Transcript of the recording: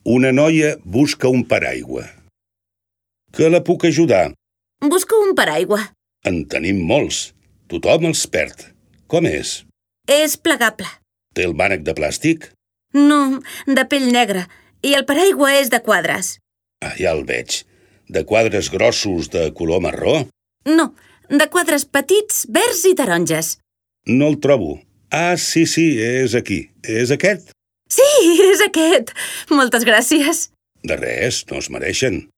Una noia busca un paraigua. Que la puc ajudar? Busco un paraigua. En tenim molts. Tothom els perd. Com és? És plegable. Té el mànec de plàstic? No, de pell negra. I el paraigua és de quadres. Ah, ja el veig. De quadres grossos de color marró? No, de quadres petits, verds i taronges. No el trobo. Ah, sí, és aquí. És aquest? Sí, és aquest. Moltes gràcies. De res, no es mereixen.